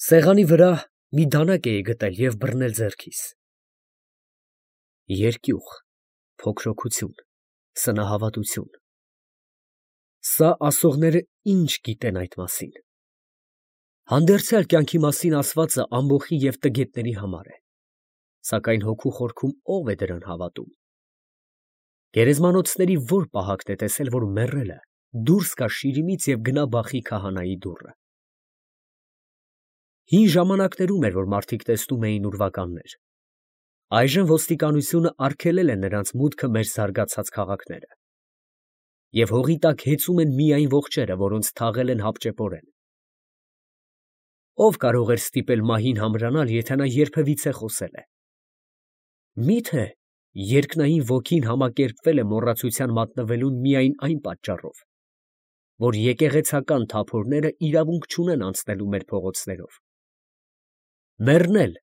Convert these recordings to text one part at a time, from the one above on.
Սեղանի վրա մի դանակ էի գտել և բռնել ձեռքիս. երկյուղ, փոքրոքություն, սնահավատություն. սա ասողները ինչ գիտեն այդ մասին. հանդերձյալ կյանքի մասին ասվածը ամբոխի և տգետների համար է, սակայն հոգու խորքում ո՞վ է դրան հավատում. գերեզմանոցների ո՞ր պահակն է տեսել, որ մեռելը դուրս գա շիրիմից և գնա բախի քահանայի դուռը. հին ժամանակներում էր, որ մարդիկ տեսնում էին ուրվականներ, այժմ ոստիկանությունը արգելել է նրանց մուտքը մեր զարգացած քաղաքները, և հողի տակ հեծում են միայն ողջերը, որոնց թաղել են հապճեպորեն. ով կարող էր ստիպել մահին համրանալ, եթե նա երբևիցե խոսել է. մի՞թե երկնային ոգին համակերպվել է մոռացության մատնվելուն միայն այն պատճառով, որ եկեղեցական թափորները իրավունք չունեն անցնելու մեր փողոցներով. մեռնել,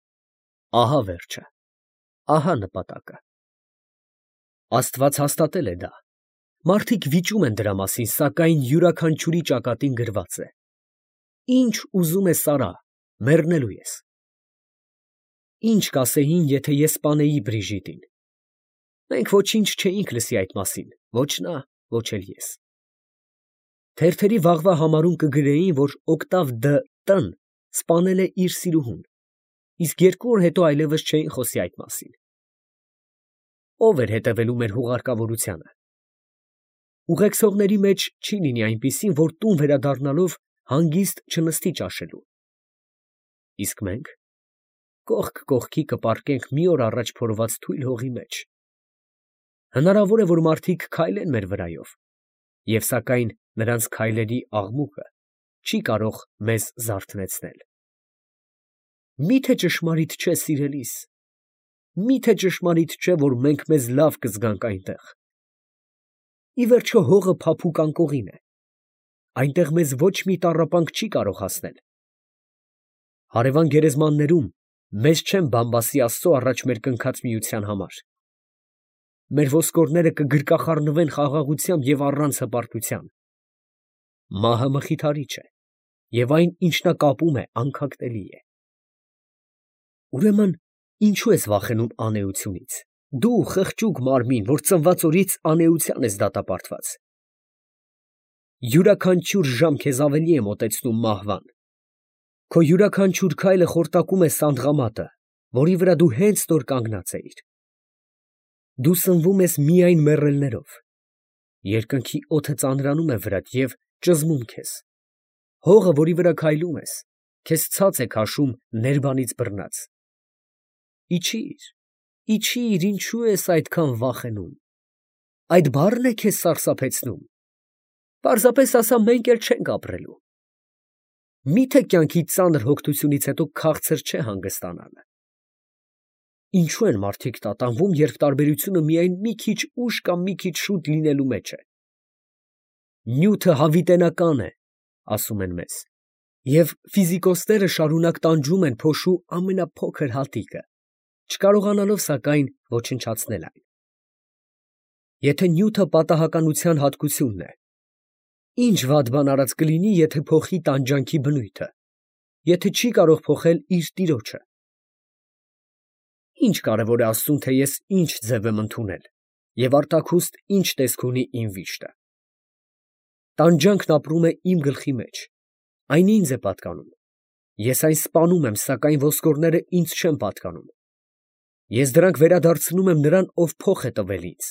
ահա վերջը, ահա նպատակը. Աստված հաստատել է դա, մարդիկ վիճում են դրա մասին, սակայն յուրաքանչյուրի ճակատին գրված է. ինչ ուզում ես արա, մեռնելու ես. Ի՞նչ կասեին, եթե ես սպանեի Բրիժիտին. մենք ոչինչ չէինք լսի այդ մասին, ոչ նա, ոչ էլ ես. թերթերի վաղվա համարում կգրեին, որ Օկտավ Դ.Տ.-ն սպանել է իր սիրուհուն, իսկ 2 օր հետո այլևս չէին խոսի այդ մասին. ով էր հետևելու մեր հուղարկավորությանը. ուղեկցողների մեջ չի լինի այնպիսին, որ տուն վերադառնալով հանգիստ չնստի ճաշելու. իսկ մենք կողք կողքի կպառկենք մի օր առաջ փորված թույլ հողի մեջ. հնարավոր է, որ մարդիկ քայլեն մեր վրայով, և սակայն նրանց քայլերի աղմուկը չի կարող մեզ զարթնեցնել. մի՞թե ճշմարիտ չէ, սիրելիս, մի՞թե ճշմարիտ չէ, որ մենք մեզ լավ կզգանք այնտեղ. ի վերջո հողը փափուկ անկողին է, այնտեղ մեզ ոչ մի տառապանք չի կարող հասնել. հարևան գերեզմաններում մեզ չեն բամբասի Աստծո առաջ մեր կնքած միության համար. մեր ոսկորները կգրկախառնվեն խաղաղությամբ և առանց հպարտության. մահը մխիթարիչ է, և այն, ինչ նա կապում է, անքակտելի է. ուրեմն ինչո՞ւ ես վախենում անէությունից, դու խղճուկ մարմին, որ ծնված օրից անէության ես դատապարտված. յուրաքանչյուր ժամ քեզ ավելի է մոտեցնում մահվան. քո յուրաքանչյուր քայլը խորտակում է սանդղամատը, որի վրա դու հենց նոր կանգնած էիր. դու սնվում ես միայն մեռելներով, երկնքի օդը ծանրանում է վրադ և ճզմում քեզ, հողը, որի վրա քայլում ես, քեզ ցած է քաշում ներբանից բռնած. իջի՛ր, իջի՛ր, ինչո՞ւ ես այդքան վախենում, այդ բառն է քեզ սարսափեցնում, պարզապես ասա, մենք էլ չենք ապրելու. մի՞թե կյանքի ծանր հոգնությունից հետո քաղցր չէ հանգստանալը. ինչո՞ւ են մարդիկ տատանվում, երբ տարբերությունը միայն մի քիչ ուշ կամ մի քիչ շուտ լինելու մեջ է. նյութը հավիտենական է, ասում են մեզ, և ֆիզիկոսները շարունակ տանջում են փոշու ամենափոքր հատիկը, չկարողանալով սակայն ոչնչացնել այն. եթե նյութը պատահականության հատկությունն է, ինչ վատ բան արած կլինի, եթե փոխի տանջանքի բնույթը, եթե չի կարող փոխել իր տիրոջը. Ինչ կարևոր է Աստծուն, թե ես ինչ ձև եմ ընդունել, և արտաքուստ ինչ տեսք ունի իմ վիշտը. տանջանքն ապրում է իմ գլխի մեջ, այն ինձ է պատկանում, ես այն սպանում եմ, սակայն ոսկորները ինձ չեն պատկանում, ես դրանք վերադարձնում եմ նրան, ով փոխ է տվել ինձ.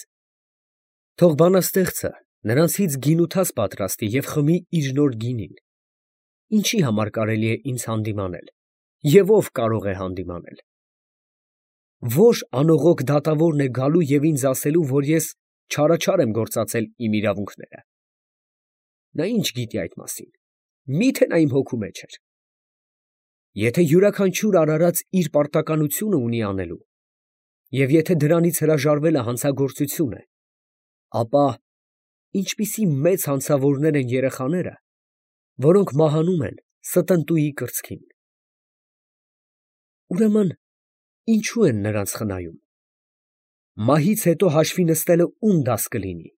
թող բանաստեղծը նրանցից գինութաց պատրաստի և խմի իր նոր գինին. ինչի համար կարելի է ինձ հանդիմանել, և ով կարող է հանդիմանել. ո՞ր անողոք դատավորն է գալու և ինձ ասելու, որ ես չարաչար եմ գործածել իմ իրավունքները. նա ինչ գիտի այդ մասին, մի՞թե նա իմ հոգու մեջ էր. եթե յուրաքանչյուր արարած իր պարտականությունը ունի անելու, և եթե դրանից հրաժարվելը հանցագործություն է, ապա ինչպիսի մեծ հանցավորներ են երեխաները, որոնք մահանում են ստընտուի կրծքին. ուրեմն ինչո՞ւ են նրանց խնայում. մահից հետո հաշվի նստելը ո՞ւմ դաս կլինի.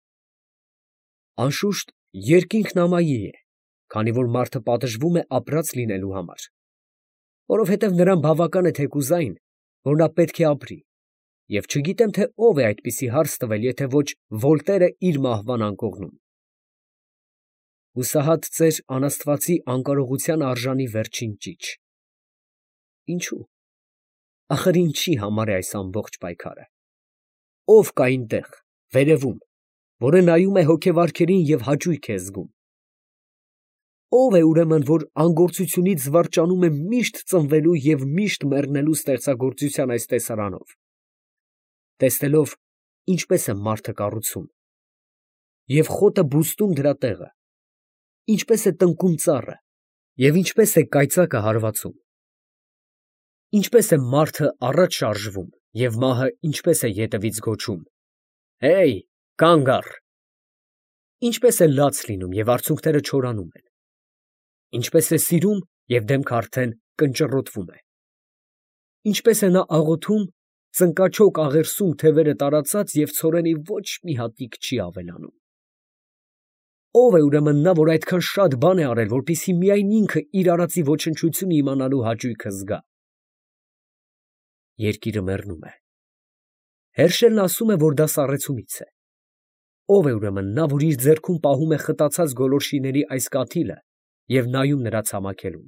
անշուշտ երկինքն ամայի է, քանի որ մարդը պատժվում է ապրած լինելու համար, որովհետև նրան բավական է թեկուզային, որ նա պետք է ապրի, և չգիտեմ, թե ով է այդպիսի հարց տվել, եթե ոչ Վոլտերը իր մահվան անկողնում։ Հուսահատ ծեր անաստվածի անկարողության արժանի վերջին ճիչ։ Ինչու՞։ Ախր ինչի համար է այս ամբողջ պայքարը։ Ով կա այնտեղ, վերևում, որը նայում է հոգեվարքերին և հաճույք է զգում։ Ով է ուրեմն, որ անգործությունից զվարճանում է միշտ ծնվելու և միշտ մեռնելու ստեղծագործության այս տեսարանով, տեսնելով, ինչպես է մարդը կառուցում, և խոտը բուստում դրա տեղը, ինչպես է տնկում ծառը, և ինչպես է կայծակը հարվածում, ինչպես է մարդը առաջ շարժվում, և մահը ինչպես է ետևից գոչում. «Հեյ, կանգ առ», ինչպես է լաց լինում, և արցունքները չորանում են, ինչպես է սիրում, և դեմքը արդեն կնճռոտվում է, ինչպես է նա աղոթում, ծնկաչոք աղերսում թևերը տարածած, և ցորենի ոչ մի հատիկ չի ավելանում։ Ո՞վ է ուրեմն նա, որ այդքան շատ բան է արել, որպեսզի միայն ինքը իր արածի ոչնչությունը իմանալու հաճույքը զգա։ Երկիրը մեռնում է։ Հերշելն ասում է, որ դա սառեցումից է։ Ո՞վ է ուրեմն նա, որ իր ձեռքում պահում է խտացած գոլորշիների այս կաթիլը և նայում նրա ցամաքելուն,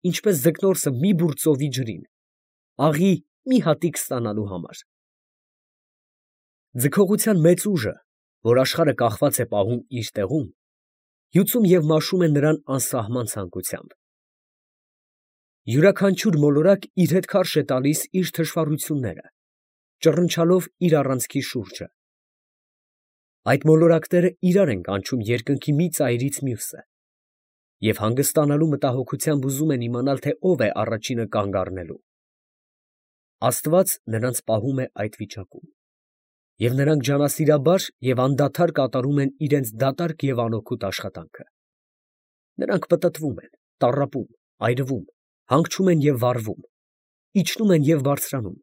ինչպես ձկնորսը մի բուռ ծովի ջրին, աղի մի հատիկ ստանալու համար։ Ձգողության մեծ ուժը, որ աշխարհը կախված է պահում իր տեղում, հյուծում և մաշում է նրան անսահման ցանկությամբ։ Յուրաքանչյուր մոլորակ իր հետ քարշ է տալիս իր թշվառությունները, ճռնչալով իր առանցքի շուրջը։ Այդ մոլորակները իրար են կանչում երկնքի մի ծայրից մյուսը, և հանգստանալու մտահոգությամբ ուզում են իմանալ, թե ով է առաջինը կանգ առնելու։ Աստված նրանց պահում է այդ վիճակում, և նրանք ջանասիրաբար և անդադար կատարում են իրենց դատարկ և անօգուտ աշխատանքը։ Նրանք պտտվում են, տառապում, այրվում, հանգչում են և վառվում, իջնում են և բարձրանում,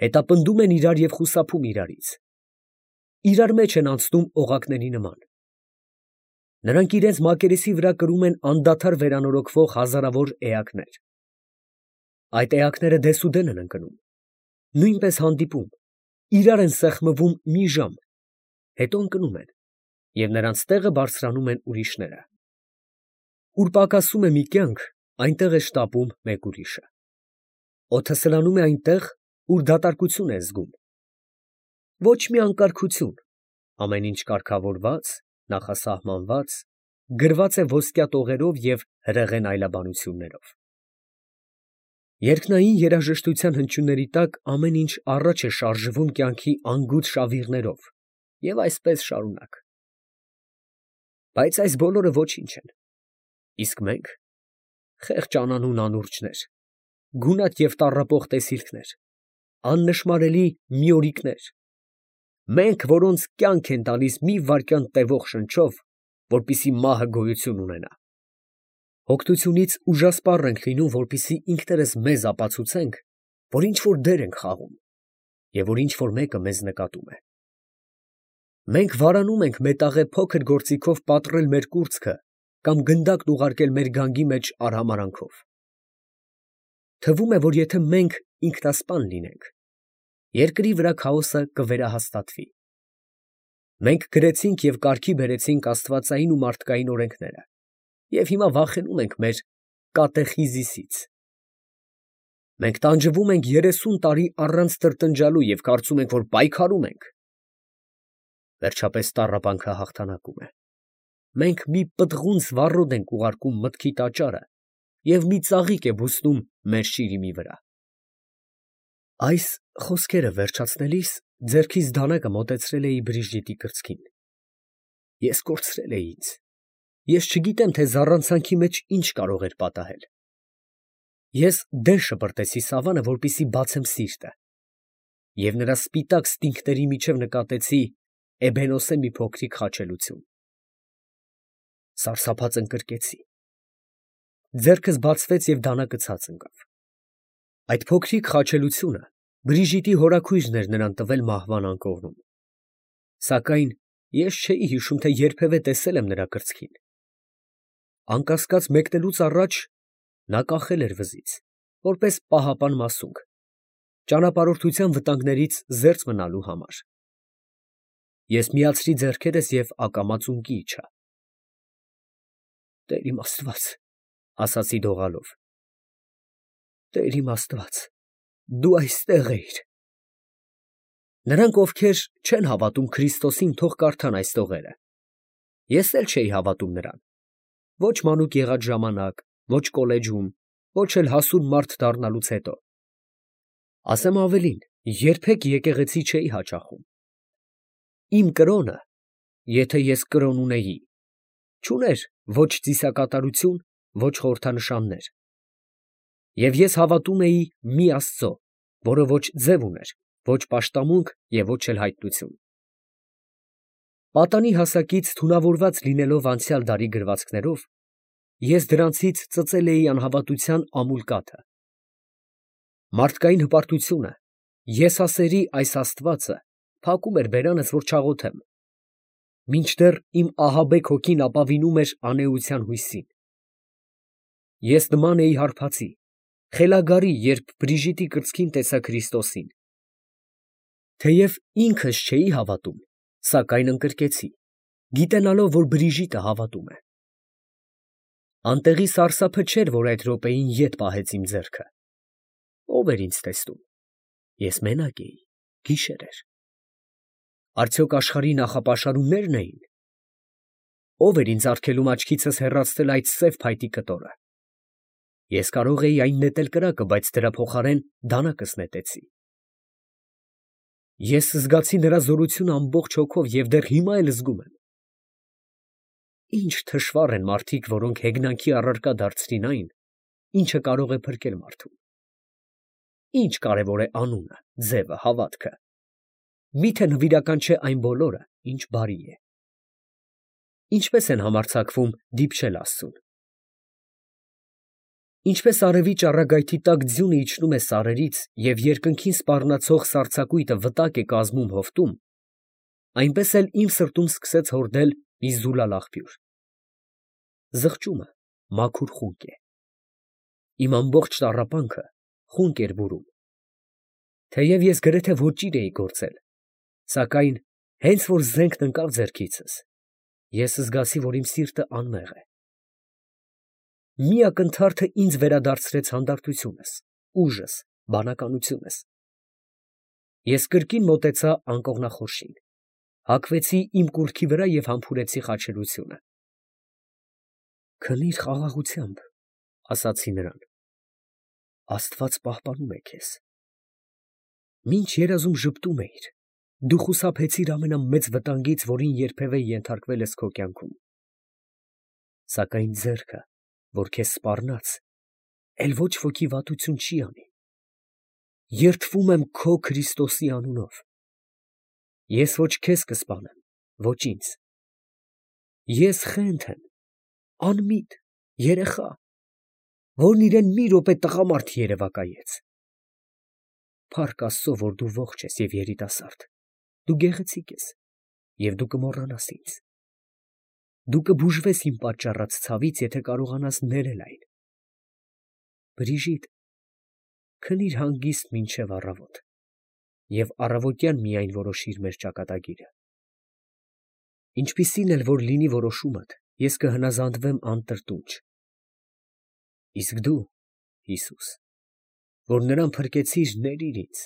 հետապնդում են իրար և խուսափում իրարից, իրար մեջ են անցնում օղակների նման։ Նրանք իրենց մակերեսի վրա կրում են անդադար վերանորոգվող հազարավոր էակներ։ Այդ էակները դեսուդեն են ընկնում, նույնպես հանդիպում, իրար են սեղմվում մի ժամ, հետո ընկնում են, և նրանց տեղը բարձրանում են ուրիշները։ Ուր պակասում է մի կյանք, այնտեղ է շտապում մեկ ուրիշը։ Օդը սլանում է այնտեղ, ուր դատարկություն է զգում։ Ոչ մի անկարգություն, ամեն ինչ կարգավորված, նախասահմանված, գրված է ոսկյա տողերով և հրեղեն այլաբանություններով։ Երկնային երաժշտության հնչյունների տակ ամեն ինչ առաջ է շարժվում կյանքի անգութ շավիղներով, և այսպես շարունակ։ Բայց այս բոլորը ոչինչ են։ Իսկ մենք, խեղճ անանուն անուրջներ, գունատ և տառապող տեսիլքներ, աննշմարելի միորիկներ, մենք, որոնց կյանք են տալիս մի վայրկյան տևող շնչով, որպեսզի մահը գոյություն ունենա, հոգնությունից ուժասպառ ենք լինում, որպեսզի ինքներս մեզ ապացուցենք, որ ինչ֊որ դեր ենք խաղում, և որ ինչ֊որ մեկը մեզ նկատում է։ Մենք վարանում ենք մետաղե փոքր գործիքով պատռել մեր կուրծքը կամ գնդակն ուղարկել մեր գանգի մեջ արհամարհանքով։ Թվում է, որ եթե մենք ինքնասպան լինենք, երկրի վրա քաոսը կվերահաստատվի։ Մենք գրեցինք և կարգի բերեցինք աստվածային ու մարդկային օրենքները, և հիմա վախենում ենք մեր կատեխիզիսից։ Մենք տանջվում ենք 30 տարի առանց տրտնջալու և կարծում ենք, որ պայքարում ենք։ Վերջապես տառապանքը հաղթանակում է։ Մենք մի պտղունց վառոդ ենք ուղարկում մտքի տաճարը և մի ծաղիկ է բուսնում մեր շիրիմի վրա։ Այս խոսքերը վերջացնելիս ձեռքիս դանակը մոտեցրել էի Բրիժիտի կրծքին։ Ես կորցրել էի ինձ։ Ես չգիտեմ, թե զառանցանքի մեջ ինչ կարող էր պատահել։ Ես դեն շպրտեցի Սավանը, որպեսզի բացեմ սիրտը, և նրա սպիտակ ստինգների միջև նկատեցի էբենոսե մի փոքրիկ խաչելություն։ Սարսափած ընկրկեցի։ Ձեռքս բացվեց և դանակը ցած ընկավ։ Այդ փոքրիկ խաչելությունը Բրիժիտի հորաքույրն էր նրան տվել մահվան անկողնում։ Սակայն ես չէի հիշում, թե երբևէ տեսել եմ նրա կրծքին։ Անկասկած, մեկնելուց առաջ Նա կախել էր վզից, որպես պահապան մասունք, ճանապարհորդության վտանգներից զերծ մնալու համար։ Ես միացրի ձեռքերս և ակամա ծունկի իջա։ «Տեր իմ Աստված», ասացի դողալով, «Տեր իմ Աստված, դու այստեղ էիր»։ Նրանք, ովքեր չեն հավատում Քրիստոսին, թող կարդան այս տողերը։ Ես էլ չէի հավատում նրան, ոչ մանուկ եղած ժամանակ, ոչ կոլեջում, ոչ էլ հասուն մարդ դառնալուց հետո։ Ասեմ ավելին, երբեք եկեղեցի չէի հաճախում։ Իմ կրոնը, եթե ես կրոն ունեի, չուներ ոչ ծիսակատարություն, ոչ խորհրդանշաններ։ Եվ ես հավատում էի մի Աստծո, որը ոչ ձև ուներ, ոչ պաշտամունք և ոչ էլ հայտնություն։ Պատանի հասակից թունավորված լինելով անցյալ դարի գրվածքներով, ես դրանցից ծծել էի անհավատության ամուլ կաթը։ Մարդկային հպարտությունը, եսասերի այս աստվածը փակում էր բերանս, որ չաղոթեմ, մինչդեռ իմ ահաբեկ հոգին ապավինում էր անէության հույսին։ Ես նման էի հարբածի, խելագարի, երբ Բրիժիտի կրծքին տեսա Քրիստոսին։ Թեև ինքս չէի հավատում, սակայն ընկրկեցի, գիտենալով, որ Բրիժիտը հավատում է։ Անտեղի սարսափը չէր, որ այդ րոպեին ետ պահեց իմ ձեռքը։ Ո՞վ էր ինձ տեսնում։ Ես մենակ էի, գիշեր էր։ Արդյոք աշխարհի նախապաշարումնե՞րն էին։ Ո՞վ էր ինձ արգելում աչքիցս հեռացնել այդ սև փայտի կտորը։ Ես կարող էի այն նետել կրակը, բայց դրա փոխարեն դանակս նետեցի։ Ես զգացի նրա զորությունը ամբողջ հոգով և դեռ հիմա էլ զգում եմ։ Ինչ թշվառ են մարդիկ, որոնք հեգնանքի առարկա դարձրին այն, ինչը կարող է փրկել մարդուն։ Ինչ կարևոր է անունը, ձևը, հավատքը։ Միթե նվիրական չէ այն բոլորը, ինչ բարի է։ Ինչպես են համարձակվում դիպչել Աստծուն։ Ինչպես արևի ճառագայթի տակ ձյունը իջնում է սարերից և երկնքին սպառնացող սառցակույտը վտակ է կազմում հովտում, այնպես էլ իմ սրտում սկսեց հորդել մի զուլալ աղբյուր։ Զղջումը մաքուր խունկ է։ Իմ ամբողջ տառապանքը խունկ էր բուրում։ Թեև ես գրեթե ոճիր էի գործել, սակայն հենց որ զենքն ընկավ ձեռքիցս, ես զգացի, որ իմ սիրտը անմեղ է։ Մի ակնթարթը ինձ վերադարձրեց հանդարտությունս, ուժս, բանականությունս։ Ես կրկին մոտեցա անկողնախորշին, հագվեցի իմ կուռքի վրա և համբուրեցի խաչելությունը։ «Քնի՛ր խաղաղությամբ», ասացի նրան, «Աստված պահպանում է քեզ։ Մինչ երազում ժպտում էիր, դու խուսափեցիր ամենամեծ վտանգից, որին երբևէ ենթարկվել ես քո կյանքում։ Սակայն ձեռքը, որ քեզ սպառնաց, էլ ոչ ոքի վատություն չի անի։ Երդվում եմ քո Քրիստոսի անունով։ Ես ոչ քեզ կսպանեմ, ոչ ինձ։ Ես խենթ եմ, անմիտ, երեխա, որն իրան մի րոպե տղամարդ երևակայեց։ Փառք Աստծո, որ դու ողջ ես և երիտասարդ, դու գեղեցիկ ես, և դու կմոռանաս ինձ։ Դու կբուժվես իմ պատճառած ցավից, եթե կարողանաս ներել այն։ Բրիժիտ, քնի՛ր հանգիստ մինչև առավոտ և առավոտյան միայն որոշիր մեր ճակատագիրը։ Ինչպիսին էլ որ լինի որոշումդ, ես կհնազանդվեմ անտրտունջ։ Իսկ դու, Հիսուս, որ նրան փրկեցիր, ներիր ինձ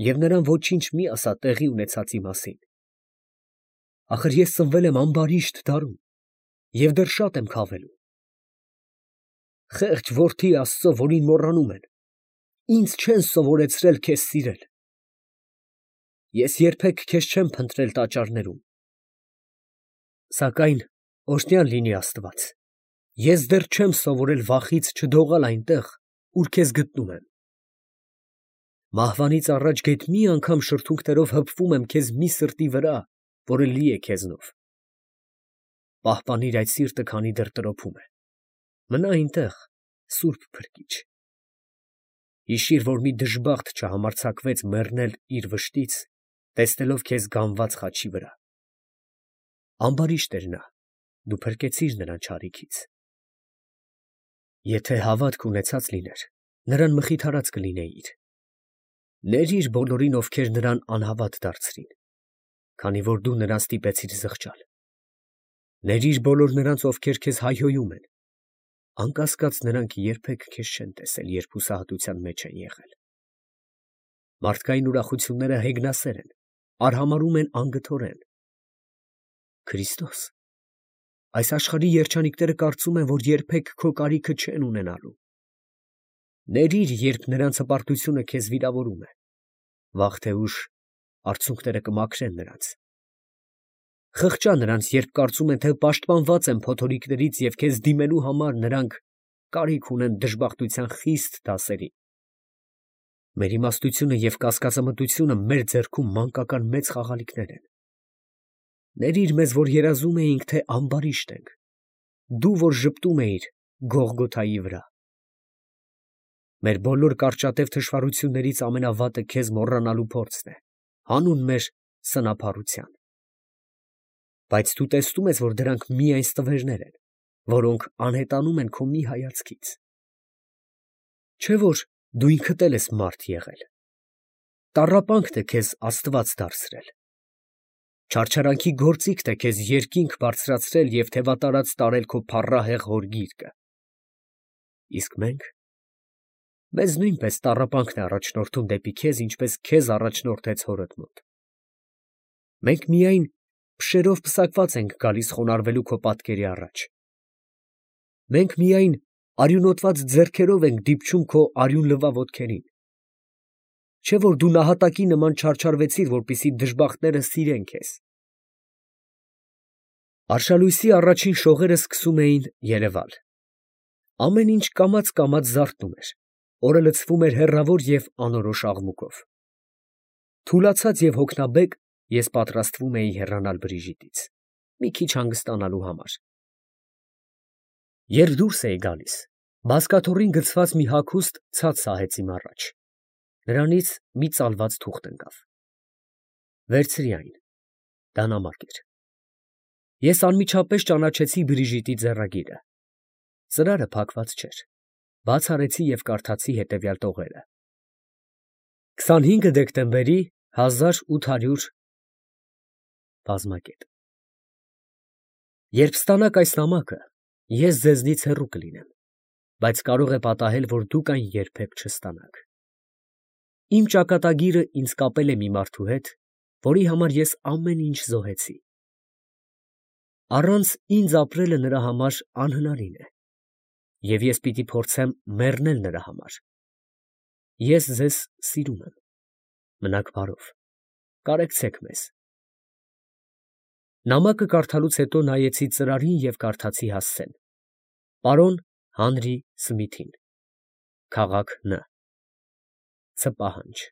և նրան ոչինչ մի ասա տեղի ունեցածի մասին։ Ախր ես ծնվել եմ ամբարիշտ դարում և դեռ շատ եմ քավելու։ Խեղճ որդի Աստծո, որին մոռանում են, ինձ չեն սովորեցրել քեզ սիրել։ Ես երբեք քեզ չեմ փնտրել տաճարներում։ Սակայն օրհնյալ լինի Աստված, ես դեռ չեմ սովորել վախից չդողալ այնտեղ, ուր քեզ գտնում եմ։ Մահվանից առաջ գեթ մի անգամ շրթունքներով հպվում եմ քեզ մի սրտի վրա, որը լի է քեզնով։ Պահպանիր այդ սիրտը, քանի դեռ տրոփում է։ Մնա այնտեղ, Սուրբ Փրկիչ։ Հիշիր, որ մի դժբախտ չհամարձակվեց մեռնել իր վշտից, տեսնելով քեզ գանված խաչի վրա։ Ամբարիշտ էր նա, դու փրկեցիր նրան չարիքից։ Եթե հավատք ունեցած լիներ, նրան մխիթարած կլինեիր։ Ներիր բոլորին, ովքեր նրան անհավատ դարձրին, քանի որ դու նրան ստիպեցիր զղջալ։ Ներիր բոլոր նրանց, ովքեր քեզ հայհոյում են, անկասկած նրանք երբեք քեզ չեն տեսել, երբ հուսահատության մեջ են եղել։ Մարդկային ուրախությունները հեգնասեր են, արհամարհում են անգթորեն։ Քրիստոս, այս աշխարհի երջանիկները կարծում են, որ երբեք քո կարիքը չեն ունենալու։ Ներիր, երբ նրանց հպարտությունը քեզ վիրավորում է, վաղ թե ուշ արցունքները կմաքրեն նրանց։ Խղճա նրանց, երբ կարծում են, թե պաշտպանված են փոթորիկներից և քեզ դիմելու համար նրանք կարիք ունեն դժբախտության խիստ դասերի։ Մեր իմաստությունը և կասկածամտությունը մեր ձեռքում մանկական մեծ խաղալիքներ են։ Ներիր մեզ, որ երազում էինք, թե ամբարիշտ ենք, դու, որ ժպտում էիր Գողգոթայի վրա։ Մեր բոլոր կարճատև թշվառություններից ամենավատը քեզ մոռանալու փորձն է, հանուն մեր սնափառության։ Բայց դու տեսնում ես, որ դրանք միայն ստվերներ են, որոնք անհետանում են քո մի հայացքից։ Չէ՞ որ դու ինքդ էլ ես մարդ եղել։ Տառապանքն է քեզ Աստված դարձրել։ Չարչարանքի գործիքն է քեզ երկինք բարձրացրել և թևատարած տարել քո փառահեղ հորգիրկը։ Իսկ մեզ նույնպես տառապանքն է առաջնորդում դեպի քեզ, ինչպես քեզ առաջնորդեց հորդ մոտ։ Մենք միայն փշերով պսակված ենք գալիս խոնարհվելու քո պատկերի առաջ։ Մենք միայն արյունոտված ձեռքերով ենք դիպչում քո արյունլվա ոտքերին։ Չէ՞ որ դու նահատակի նման չարչարվեցիր, որպեսզի դժբախտները սիրեն քեզ։ Արշալույսի առաջին շողերը սկսում էին երևալ։ Ամեն ինչ կամաց զարթնում էր, օրը լցվում էր հեռավոր և անորոշ աղմուկով։ Թուլացած և հոգնաբեկ, ես պատրաստվում էի հեռանալ Բրիժիտից, մի քիչ հանգստանալու համար։ Երբ դուրս էի գալիս, բազկաթոռին գցված մի հագուստ ցած սահեց իմ առաջ, նրանից մի ծալված թուղթ ընկավ։ Վերցրի այն, դա նամակ էր։ Ես անմիջապես ճանաչեցի Բրիժիտի ձեռագիրը։ Ծրարը փակված չէր։ Բաց արեցի և կարդացի հետևյալ տողերը. 25 դեկտեմբերի 1800 բազմակետ։ Երբ ստանաք այս նամակը, ես ձեզնից հեռու կլինեմ, բայց կարող է պատահել, որ դուք այն երբեք չստանաք։ Իմ ճակատագիրը ինձ կապել է մի մարդու հետ, որի համար ես ամեն ինչ զոհեցի։ Առանց ինձ ապրելը նրա համար անհնարին է, և ես պիտի փորձեմ մեռնել նրա համար։ Ես ձեզ սիրում եմ։ Մնաք բարով, կարեկցեք մեզ։ Նամակը կարդալուց հետո նայեցի ծրարին և կարդացի հասցեն. Պարոն Հանրի Սմիթին, քաղաք Ն. Ց. Պահանջ։